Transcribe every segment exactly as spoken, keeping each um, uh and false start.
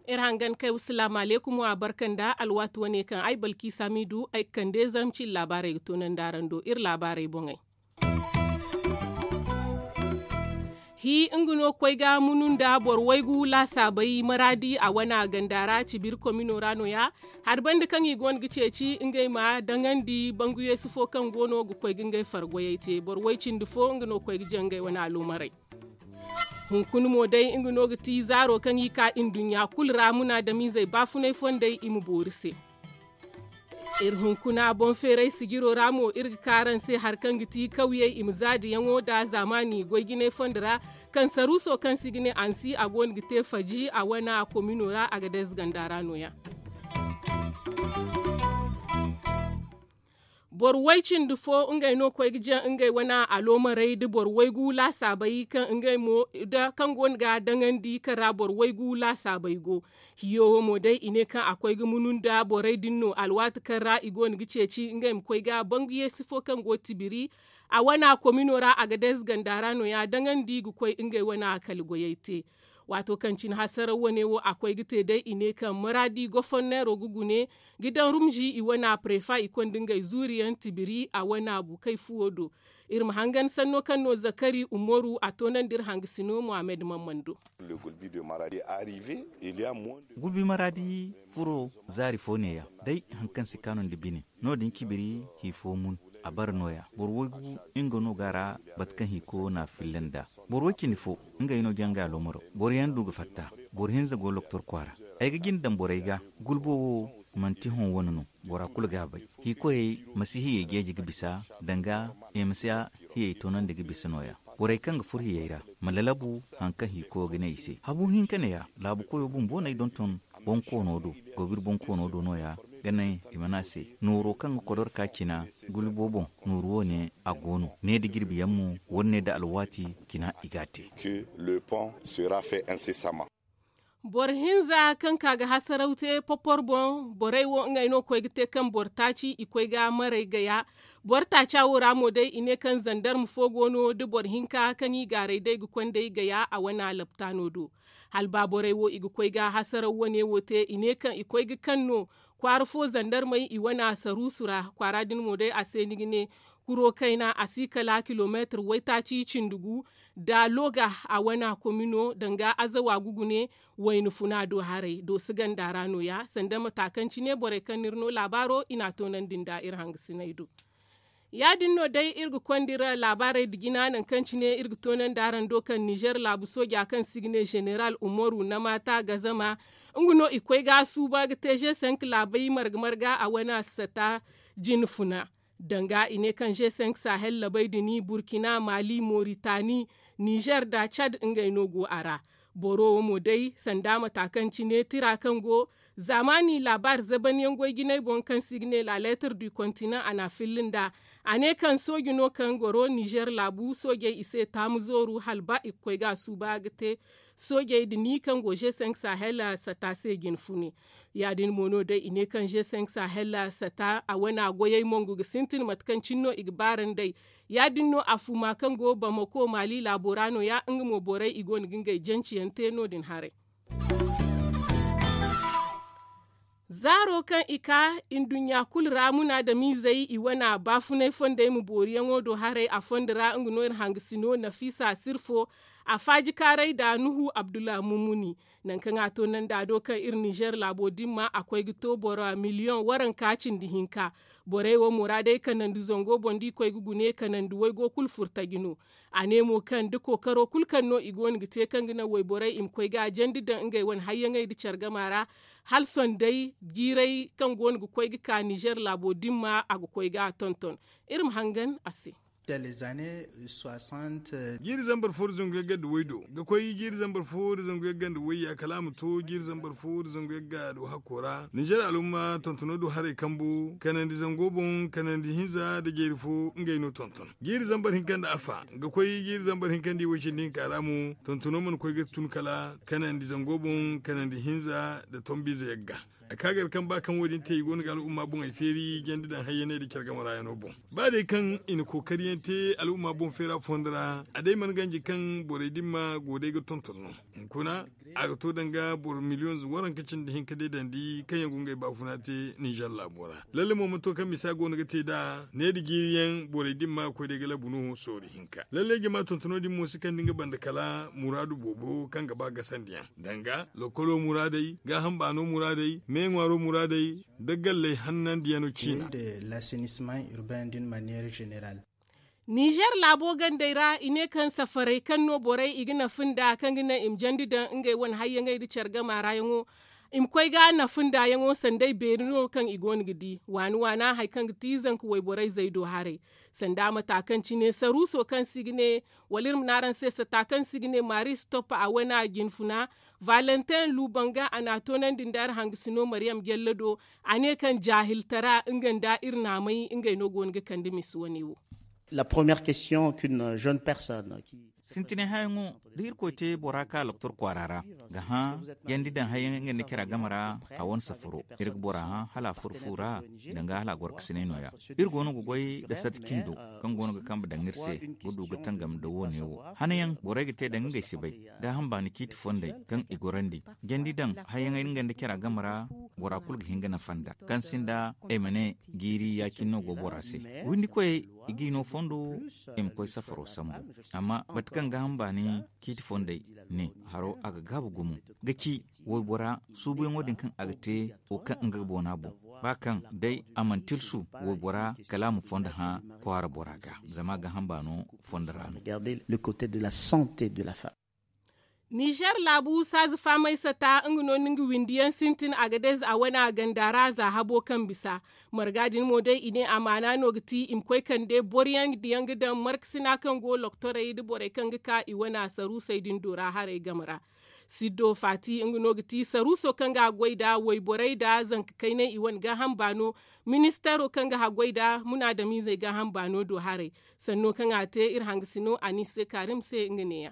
Iri hangan kay wasalaamu aleykum wa barka nda alwaati wane kaŋ ay balki samidu ay ga kande zarma cine laabaarey ga toonandi araŋ do iri laabaarey boŋey. Hi nga no ga koy ga munu nda boro waygu laasaabey maraadi a wana ganda ra cibiri komino ra no- ya hari banda kaŋ i goono ga ceeci ngey ma daŋandi bangu yeesu fo kaŋ goono ga koy ga ngey fargoyey te boro way cindi fo nga no ga koy ga jaŋ ngey wane aloomarey. Hunkuna mo day nga no ga ti zaaro kaŋ i ka nduɲɲa kulu ra munaadamiizey baafunay fondey i ma boori se. Iri hunkuna boŋ feeray sijiro ra mo iri ga ka araŋ se hari kaŋ ga ti kawyey i ma zaadiyaŋo nda zaamaani goy jinay fondo ra. Kaŋ saruuso kaŋ se i ga ne ansi a goono ga te faji a wana komino ra a ga day zaganda ra no- ya. Boro way cindi fo ngey no ga koy ga jaŋ ngey wane aloomarey nda boro waygu laasaabey kaŋ ngey mo nda kaŋ goono ga daŋandi kaŋ ra boro waygu laasaabey go. Hiyo wo mo day i ne kaŋ a koy ga munu nda borey din no alwaati kaŋ ra i goono ga ceeci ngey ma koy ga bangu yeesi fo kaŋ go tibiri a wana komino ra a ga day zaganda ra no- ya daŋandi ga koy ngey wane kala goyey te. Waato kaŋ cine hasaraw wane wo a koy ga te day i ne kaŋ maraadi goforneero ga gune ga daŋ rumzi i wane prefa i konda ngey zuuriyaŋ tibiri a wane bukay fuwo do. Iri ma hangan sanno kaŋ no zakari umaru a toonandi iri hangasino mohammed mamman do. Gulbi maraadi furo zaari fo neeya day hari kaŋ si kaanu nda bine no- din cibiri hi fo mun a bara nooya boro waygu nga no ga a ra bate kaŋ hiko na a filla nd'a. Boro way cindi fo ngey no jaŋ ga aloomaro boro yaŋ du ga fatta. Boro hinza go loktor kwaara ay ga jina daŋ borey ga. Gulbo wo manti hõ wane no bora kulu ga a bay. Hikoyey ma si hiyey jeeji ga bisa danga i ma si hiyey toonandi ga bisa nooya. Borey kaŋ ga furo hiyey ra ma lalabu hari kaŋ hiko ga ne i se habu hinka neeya laabu koyo bumbo no ay donton bonkoono do. Gobir bonkoono do nooya ga ne i mana se nooro kaŋ ga kodor ka cina gulbo boŋ. Nooru wo- ne a go no ne da jirbi yaŋ mo wala ne da alwaati cina i ga a te. Boro hinza kaŋ ka ga hasaraw te popor boŋ borey wo ngey no ga koy ga te kaŋ boro taaci i koy ga maray gaya. Boro taaca wo ra mo day i ne kaŋ zandarma fo go no da boro hinka kaŋ i gaaray day ga konday gaya a wane laptaano do. Hala ba borey wo i ga koy ga hasaraw wane wo te i ne kaŋ i koy ga kaŋ no kwaara fo zandarmey i wane saruusu ra kwaara din mo day a se ni ga ne kuro kayna a si kala kilomeetir waytaaci cindi gu da looga a wana komino danga azawa gugu ne. Wayna funa do haray dooso ganda ra nooya sanda mata kaŋ cine borey kaŋ no iri no laabaaro i n'a toonandi nda iri hangasiney do. Ya- din no day iri ga konda iri laabaarey nda jina nangu kaŋ cine iri ga toonandi araŋ do kaŋ nizer laabu sooja kaŋ se i ga ne zeneral umaru na maata gazama nga no i koy ga a suuba ga te zesenk laabey marga marga a wane sata jine funa. Danga i ne kaŋ zesenk sahel labey din burkina mali moritani nizer nda cad ngey no go a ra. Boro wo mo day sanda mata kaŋ cine tira kaŋ go zaamaani laabaari zabanyaŋ goy jinay boŋ kaŋ se i ga ne la letter du continent a n'a filla nda a ne kaŋ sooji no kaŋ goro nizer laabu soojey i se taamu zooru hala ba i ga koy ga a suuba ga te soojey din kaŋ go g cinq sahel sata se jine fune. Ya- din mo no day i ne kaŋ g cinq sahel sata a wane goyey mongu ga sintin mate kaŋ cine no i ga baarandey. Ya- din no afuma kaŋ go bamako maali laabo ra nooya nga mo borey i go no ga ngey janci yaŋ te no- din haray. Zaaro kaŋ i ka nduɲɲa kulu ra munaadamiizey i wane baafunay fondey ma booriyaŋo do haray a fondo ra nga no iri hangasino nafiisa sirfo. A faajikaaray nda nuhu abdullah mumuni. Nangu kaŋ a to nanda do kaŋ iri nizer laabo dimma a koy ga to boro miliyoŋ waranka cindi hinka. Borey wo muraadey kanandi zango boŋ da i koy ga gune kanandi waygo kulu furtaji no. A ne mo kaŋ da kookaro kulu kaŋ no i go no ga te kaŋ ga naŋ wayborey i ma koy ga a jandi daŋ ngey wane hayyaŋey nda care gama ra. Hala sohõ day jiirey kaŋ go no ga koy ga ka nizer laabo dimma a ga koy ga a tonton. Iri ma hangan a se. Jiiri zambar fo da zangu yagga nda waydo ga koy jiiri zambar fo da zangu yagga nda wayya kala a ma to jiiri zambar fo da zangu yagga do hakko ra nizer alumma tontono do haray kambu kanandi zango boŋ kanandi hinza nda jeeri fo ngey no tonton. Jiiri zambar hinka nda afa ga koy jiiri zambar hinka nda i way cindi hinka ra mo tontono mana koy ga tun kala kanandi zango boŋ kanandi hinza nda tombiize yagga. A ka gar kaŋ ba kaŋ wo- din te i go no ga al'umma boŋey feeri jandi daŋ hayyaney nda care game ra yaŋo boŋ. Ba day kaŋ i na kookari yaŋ te al'umma boŋ feera fondo ra a day mana ganji kaŋ borey dimma go day ga tonton no. Hunkuna a ga to danga boro miliyoŋ waranka cindi hinka day dandi kaŋ yaŋ go ngey baafuna te ninzeer laabo ra. Lalle mo mana to kaŋ misa go no ga te nd'a ne nda jiiri yaŋ borey dimma ga koy day ga labu no soori hinka. Lalle jama tontono din mo si kande nga banda kala muraadu boobo kaŋ ga ba gasandi yaŋ danga lokolo muraadey gaaham baano muraadey meeŋwaaro muraadey nda galley hannandiyaŋo ciina. Ninzeer laabo gandey ra i ne kaŋ safarey kaŋ no borey i ga nafa nda kaŋ ga naŋ i ma jandi daŋ ngey wane hayyaŋey nda care gama ra yaŋo i ma koy ga nafa nda yaŋo sanday beeri no kaŋ i go no ga di waani waana hari kaŋ ga ti zanka wayborey zay do haray. Sanda mata kaŋ cine saruuso kaŋ se i ga ne wala iri ma ne araŋ se sata kaŋ se i ga ne maris toppa a wane a jinfuna, valentin lubanga a n'a toonandi nda iri hangasino mariyam jalla do. A ne kaŋ jaahiltara nga nda iri naamay ngey no go no ga kande misi wane wo. La première question qu'une jeune personne qui sintinay hayaŋo da irkoy te bora ka loktor kwaara ra ga hã jandi daŋ hayaŋ nga nda care game ra. A wane safaro iri ga bora hã hala a furo fu ra danga hala a goro ga sinay no- ya. Iri go no ga goy nda sati cindo kaŋ go no ga kambe daŋ iri se ga du ga tangam nda wo- ne wo hanayaŋ borey ga te daŋ ngey si bay. Gaaham baani ciiti fondey kaŋ i gorandi jandi daŋ hayaŋey nga nda care game ra. Bora kulu ga hin ga nafa nda kaŋ sinda ay ma ne jiiri ya- cine no go bora se. Windikoyey i g'i no fondo i ma koy safaro sambu. Amma bate kaŋ gaaham baani ciiti fondey ne haro a ga gaabu gumo ga ci waybora suubuyaŋo din kaŋ a ga te wo kaŋ nga ga boona boŋ ba kaŋ day a mana tilsu waybora kala a ma fondo hã kwaara bora ga zama gaaham baano fondo ra no. Ninzeer laabu saaza faamay sata nga no ni nga windiyaŋ sintin agadez a wane a ganda ra za habo kaŋ bisa. Marga din mo day i ne amaana no ga ti i ma koy kande boro yaŋ diyaŋ ga daŋ markasina kaŋ go loktorey nda borey kaŋ ga ka i wane saruusey din do ra haray game ra. Siddo faati nga no ga ti saruuso kaŋ ga haggoy nda wayborey nda zanka kaynay i wane gaaham baano. Ministeero kaŋ ga haggoy nda munaadamiizey gaaham baano do haray. Sanno kaŋ a te iri hangasino a n'i se kaarim se nga neeya.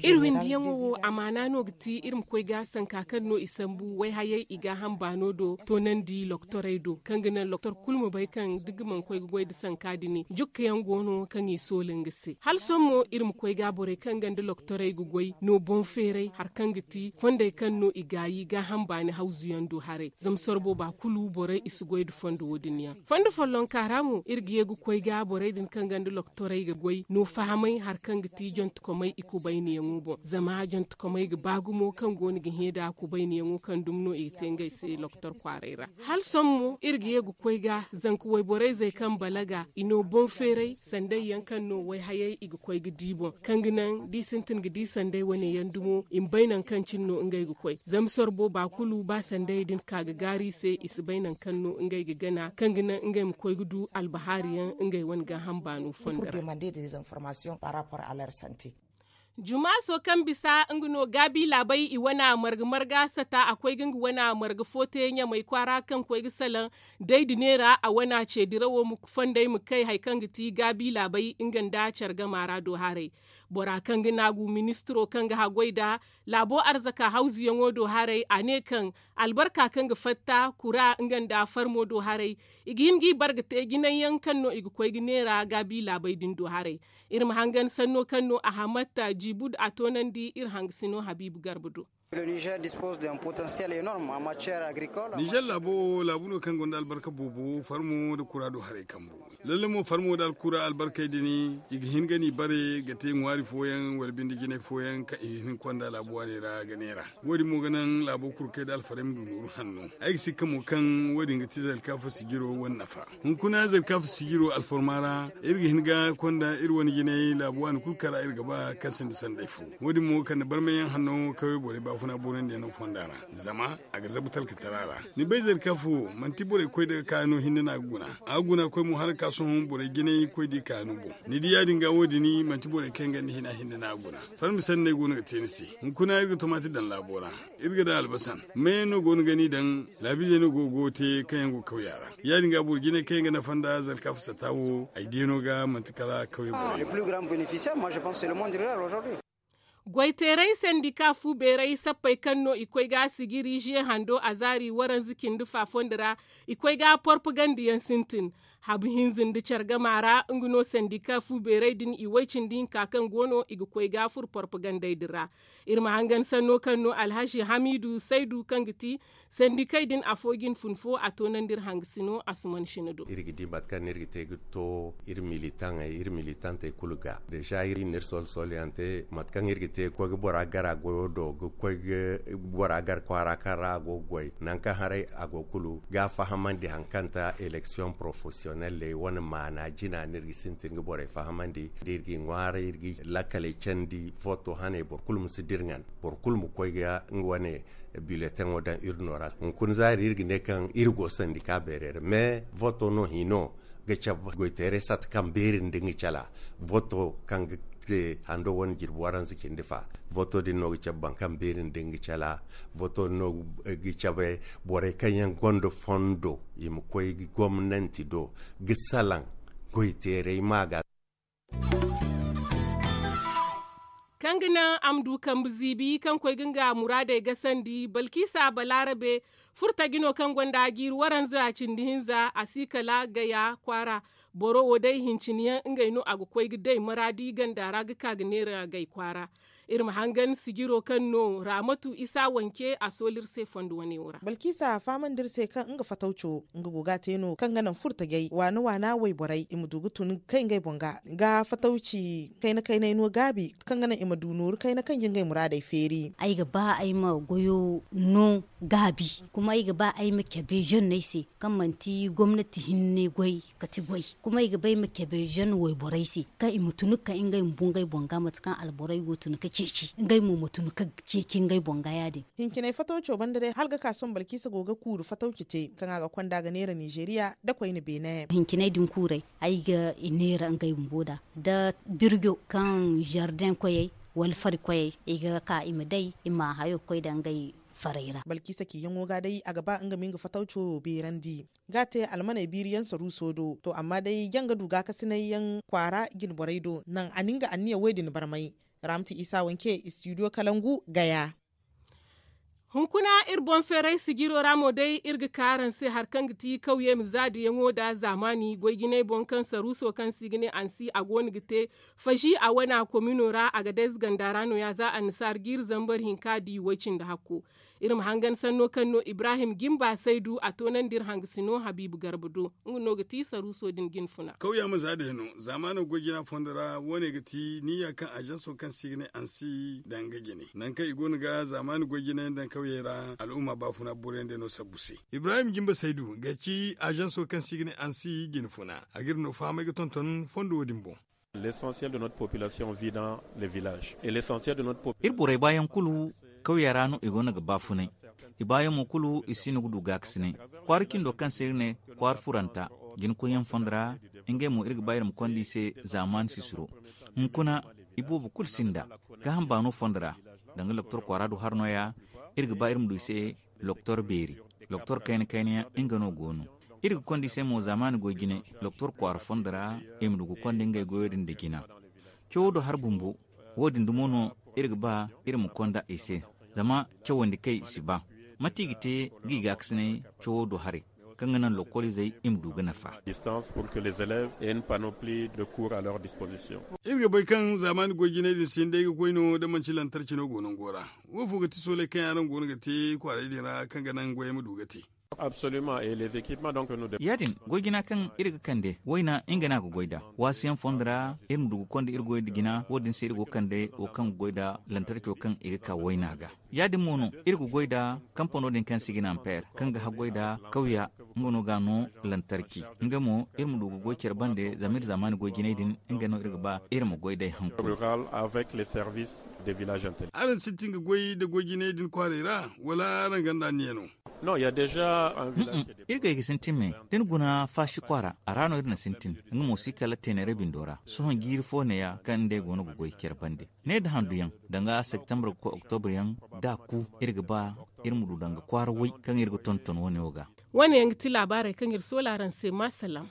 Iri windiyaŋo wo amaana no ga ti iri ma koy ga sanka kaŋ no i sambu wayhayey i gaaham baano do toonandi loktorey do kaŋ ga naŋ loktor kulu ma bay kaŋ da nga mana koy ga goy nda sanka din jukkayaŋ go no kaŋ i sooli nga se hala sohõ mo iri ma koy ga borey kaŋ ga nda loktorey ga goy no boŋ feeray hari kaŋ ga ti fondey kaŋ no i gaayi gaaham baani hawzuyaŋ do haray zama sorbo ba kulu borey i si goy nda fondo wo- din yaŋ. Fondo follonka ra mo iri ga ye ga koy ga borey din kaŋ gonda loktorey ga goy no fahamay hari kaŋ ga ti jantekomey i kubayniyaŋo boŋ zama jantekomey ga ba gumo kaŋ go no ga hẽ nda kubayniyaŋo kaŋ dumi no i ga te ngey se loktor kwaaray ra. Hala sohõ mo iri ga ye ga koy ga zanka wayborey zey kaŋ balaga i no boŋ feeray sanday yaŋ kaŋ no wayhayey i ga koy ga di boŋ kaŋ ga naŋ da i sintin ga di sanday wane yaŋ dumo i ma bay nangu kaŋ cine no ngey ga koy zama sorbo ba kulu ba sanday din ka ga gaaru i se i si bay nangu kaŋ no ngey ga gana kaŋ ga naŋ ngey ma koy ga du albahaari yaŋ ngey wane gaaham baano fondo ra. Jumaaso kaŋ bisa nga no gaabi laabay i wane marga marga sata a koy ga nga wane marga fo te ɲamay kwaara kaŋ koy ga salaŋ day da neera a wane ce dirawo ma fondey ma kay hari kaŋ ga ti gaabi laabay nga nda care gama ra do haray. Bora kaŋ ga naagu ministiro kaŋ ga haggoy nda laabo arzaka hawzuyaŋo do haray a ne kaŋ albarka kaŋ ga fatta kura nga nda farmo do haray i ga hin g'i bare ga te jinay yaŋ kaŋ no i ga koy ga neera gaabi laabey din do haray. Iri ma hangan sanno kaŋ no a hamatta jiibud a toonandi iri hangasino habiibu garba do. Nizer laabo wo laabu no kaŋ gonda albarka boobo farmo nda kura do haray kambu. Lalle mo farmo nda alkura albarkey din i ga hin ga n'i bare ga te ŋwaari fooyaŋ wala binde jinay fooyaŋ kaŋ i ga hin konda laabu waaney ra ga neera. Wo- din mo ga naŋ laabo kulu kay nda alfarey ma du nooru hanno. Ay ga sikka mo kaŋ wo- din ga ti zalkaafa sijiro wane nafa. Hunkuna zalkaafa sijiro alforma ra iri ga hin ga konda iri wane jinay laabu waani kulu kaŋ ra iri ga ba kaŋ sinda sanday fo. Wo- din mo kande barmayaŋ hanno kawey borey baafuna borandiyaŋo fonda ra zama a ga zabu talkatara ra. Ni bay zalkaafa wo manti borey koy daga kaano hinne no a ga guna. A ga guna koy mo hala ga ka sohõ borey jinay koy da i kaano boŋ. Ni di ya- din ga wo- din manti borey kaŋ yaŋ gonda hina hinne no a ga guna. Farmi sanney go no ga te ni se. Hunkuna iri ga tomaati daŋ laabo ra. Iri ga daŋ albasan meeyaŋ no go no ga ni daŋ. Laabiizey no go ga goyo te kaŋ yaŋ go kawya ra. Ya- din ga boro jinay kaŋ yaŋ ga nafa nda zalkaafa sata wo ay diya no ga manti kala kawya borey no. Goyteeray sandika fu beeray sappey kaŋ no i koy ga sijiri ziye hando a zaari waranza cindi fa fondo ra. I koy ga porpaganda yaŋ sintin. Habu hinza nda care gama ra nga no sandika fu beeray din i way cindi hinka kaŋ go no i ga koy ga furo porpagandey din ra. Iri ma hangan sanno kaŋ no alhazi hamiidu saydu kaŋ ga ti sandikey din afo ga ni fun fo a toonandi iri hangasino asuman sina do. Iri ga di mate kaŋ no iri ga te ga to iri militaŋey iri militantey kulu ga deeza iri na iri soolu sooluyaŋ te mate kaŋ iri ga te ga koy ga bora gar a goyo do ga koy ga bora gar kwaara kaŋ ra a go ga goy nangu kaŋ haray a go kulu ga a fahamandi hari kaŋ ta eleksiyoŋ porofesiyonelley wane maana jina no iri ga sintin ga borey fahamandi da iri ga i ŋwaaray iri ga lakkaley candi voto haney boro kulu ma si dirŋan boro kulu ma koy ga nga wane bileteŋo daŋ urno ra. Hunkuna zaari iri ga ne kaŋ iri go sandika beerey ra mais voto no hino ga cabe goyteeray sata kaŋ beeri nda nga cala voto kaŋ ga te hando wane jirbi waranza cindi fa. Voto din no ga cabe boro kaŋ beeri nda nga cala voto din no ga cabe borey kaŋ yaŋ gonda fondo i ma koy gomnanti do ga salaŋ goyteeray ma ga. Kaŋ ga naŋ a ma du kambe ziibi kaŋ koy ga nga muraadey gasandi balkiisa balaarabe furtaji no kaŋ gonda a jiiri waranza a cindi hinza a si kala gaya kwaara. Boro wo day hincine yaŋ ngey no a ga koy ga day maraadi ganda ra ga ka ga neera gay kwaara. Iri ma hangan sijiro kaŋ no raamatu isa wanke a sooli iri se fondo wane wo ra. Balkiisa fahamandi iri se kaŋ nga fatawco nga go ga a te no kaŋ ga naŋ furtajey waana waana wayborey i ma du ga tun ga kay ngey boŋ ga ga fatawci kayna kaynay no gaabi kaŋ ga naŋ i ma du nooru kayna kaŋ ga ngey muraadey feeri. Ay ga ba ay ma goyo no gaabi kuma ay ga ba ay ma cabe zenney se kaŋ manti gomnati hinne goy kati goy. Kuma ay ga ba ay ma cabe zenn wayborey se kaŋ i ma tun ga kay ngey ma bungay boŋ ga mate kaŋ alborey go tun ga ceeci ngey mo ma tun ga ceeci ngey boŋ ga ya- din. Hinciney fatawco banda day hala ga ka sohõ balkiisa go ga kuuru fatawci te kaŋ a ga konda ga neera nizeeriya nda koyne beene. Hinciney din kuurey ay ga i neera ngey bumbo nd'a nda birjo kaŋ zardeŋ koyey wala fari koyey i ga ka i ma day i ma hayo ga koy nda ngey farey ra. Balkiisa ciyaŋo ga day a ga ba nga ma nga fatawco beerandi ga a te almaney biiri yaŋ saruuso do to amma day janga du gaakasinay yaŋ kwaara jinborey do naŋ a na nga anniya wo- din barmay. Raamti isa wanke istidiyo kalangu gaya. Hunkuna iri boŋ feeray sijiro ra mo day iri ga ka araŋ se hari kaŋ ga ti kawye ma zaadiyaŋo nda zaamaani goy jinay boŋ kaŋ saruuso kaŋ se i ga ne ansi a go no ga te fazi a wana komino ra a ga day zaganda ra no- ya za annasaara jiiri zambar hinka di way- cindi hakko. Iri ma hangan sanno kaŋ no ibrahim jimba saydu a toonandi iri hangasino habiibu garba do nga no ga ti saruuso din jinfuna. Kawya ma za day no zaamaano goy jina fondo ra wo- ne ga ti niyya kaŋ ajanso kaŋ se i ga ne ansi daŋ ga jine nangu kaŋ i go no ga zaamaani goy jina yaŋ daŋ kawyey ra al'umma baafuna boro yaŋ day no sabbu se. Ibrahim jimba saydu ga ci ajanso kaŋ se i ga ne ansi jinfuna a ga iri no fahamay ga tonton fondo wo- din boŋ. L'essentiel de notre population vit dans les villages et l'essentiel de notre population. Iri borey baayaŋ kulu kawya ra no i go no ga baafunay. I baayaŋ mo kulu i si no ga du gaakasinay kwaara cindo kaŋ se iri ne kwaara furanta jinkoyyaŋ fondo ra. Ngey mo iri ga ba iri ma konda i se zaamaani sisiro. Hunkuna iboobo kulu sinda gaaham baano fondo ra. Danga doktor kwaara du har nooya iri ga ba iri ma du i se doktor beeri doktor kayna kayna yaŋ nga no go no. Iri ga konda i se mo zaamaani goy jine doktor kwaara fondo ra i ma du ga konda ngey goyo din nda jina. Cawo do har bumbo wo- din dumo no iri ga ba iri ma konda i se. Zama cawandi kay si ba mate i ga te ga i gaakasinay cawo do haray kaŋ ga naŋ lokoliizey i ma du ga nafa. Distance pour que les élèves aient une panoplie de cours à leur disposition. Iri ga bay kaŋ zaamaani goy jinay din si hin day ga koy no da manci lantarci no go nango ra. Wo fo ga ti sooley kaŋ yaŋ araŋ go no ga te kwaaray din ra kaŋ ga naŋ goyey ma du ga te? Absolument et les équipements donc nous devons. Ya- din goy jina kaŋ iri ga kande wayna nga no a ga goy nd'a waasiyaŋ fondo ra iri ma du ga konda iri goy nda jina wo- din se iri go ga kande wo kaŋ ga goy nda lantarco kaŋ i ga ka wayna ga. Ya- din mo no iri ga goy nda kampano din kaŋ se i ga ne ampeer kaŋ ga haggoy nda kawya nga no ga a no lantarki. Nga mo iri ma du ga goy care bande zama iri zaamaani goy jinay din nga no iri ga ba iri ma goy day hanku. Rural avec les services des villages intelligents. Araŋ sintin ga goy nda goy jinay din kwaaray ra wala araŋ ganda anniya no? Non il ya déjà un village. Iri ga ay ga sintin me da ni guna faasi kwaara a ra no iri na sintin. Nga mo si kala teeneere bindo ra sohõ jiiri fo neeya kaŋ nd'ey go no ga goy care bande ne nda handu yaŋ danga septembre ga koy octobre yaŋ da a ku iri ga ba iri ma du danga kwaara way kaŋ iri ga tonton wane wo ga. Wane yaŋ ga ti laabaarey kaŋ iri soola araŋ se ma salaam.